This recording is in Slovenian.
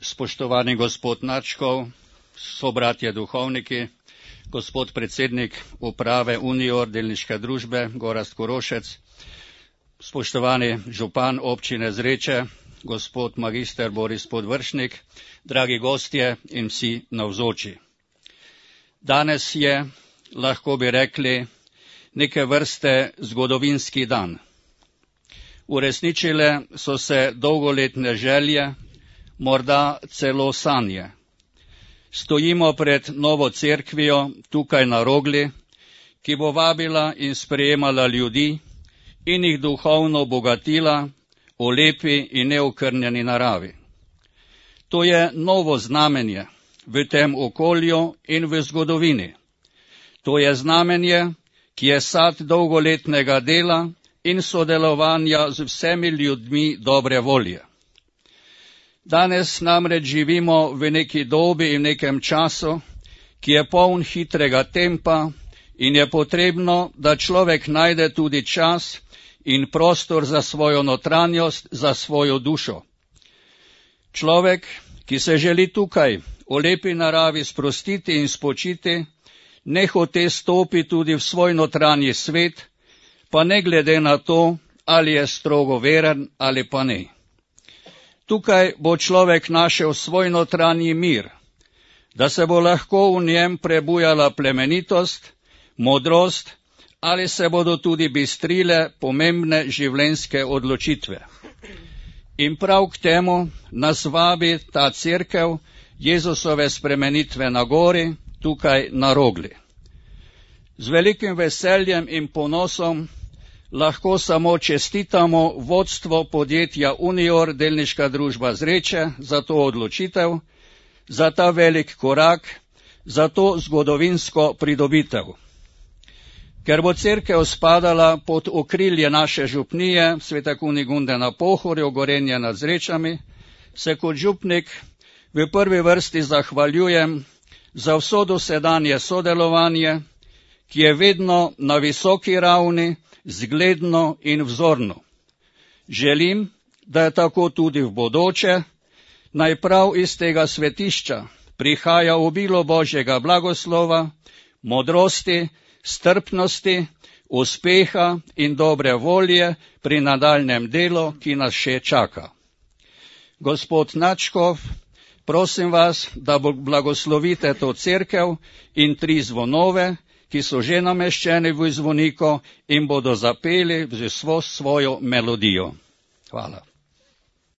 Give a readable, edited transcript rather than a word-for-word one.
Spoštovani gospod Načkov, sobratje duhovniki, gospod predsednik uprave Unior delniške družbe Gorazd Korošec, spoštovani župan občine Zreče, gospod magister Boris Podvršnik, dragi gostje in vsi navzoči. Danes je, lahko bi rekli, neke vrste zgodovinski dan. Uresničile so se dolgoletne želje, morda celo sanje. Stojimo pred novo cerkvijo tukaj na Rogli, ki bo vabila in sprejemala ljudi in jih duhovno bogatila v lepi in neokrnjeni naravi. To je novo znamenje v tem okolju in v zgodovini. To je znamenje, ki je sad dolgoletnega dela in sodelovanja z vsemi ljudmi dobre volje. Danes namreč živimo v neki dobi in nekem času, ki je poln hitrega tempa in je potrebno, da človek najde tudi čas in prostor za svojo notranjost, za svojo dušo. Človek, ki se želi tukaj v lepi naravi sprostiti in spočiti, nehote stopi tudi v svoj notranji svet, pa ne glede na to, ali je strogo veren ali pa ne. Tukaj bo človek našel svoj notranji mir, da se bo lahko v njem prebujala plemenitost, modrost ali se bodo tudi bistrile pomembne življenjske odločitve. In prav k temu nas vabi ta cerkev Jezusove spremenitve na gori, tukaj na Rogli. Z velikim veseljem in ponosom lahko samo čestitamo vodstvo podjetja Unior delniška družba Zreče za to odločitev, za ta velik korak, za to zgodovinsko pridobitev. Ker bo cerkev spadala pod okrilje naše župnije Svete Kunigunde na Pohorju, Gorenje nad Zrečami, se kot župnik v prvi vrsti zahvaljujem za vso dosedanje sodelovanje, ki je vedno na visoki ravni, zgledno in vzorno. Želim, da je tako tudi v bodoče, naj prav iz tega svetišča prihaja obilo Božjega blagoslova, modrosti, strpnosti, uspeha in dobre volje pri nadaljnjem delu, ki nas še čaka. Gospod Načkov, prosim vas, da blagoslovite to cerkev in 3 zvonove, ki so že nameščeni v zvoniku in bodo zapeli z vso svojo melodijo. Hvala.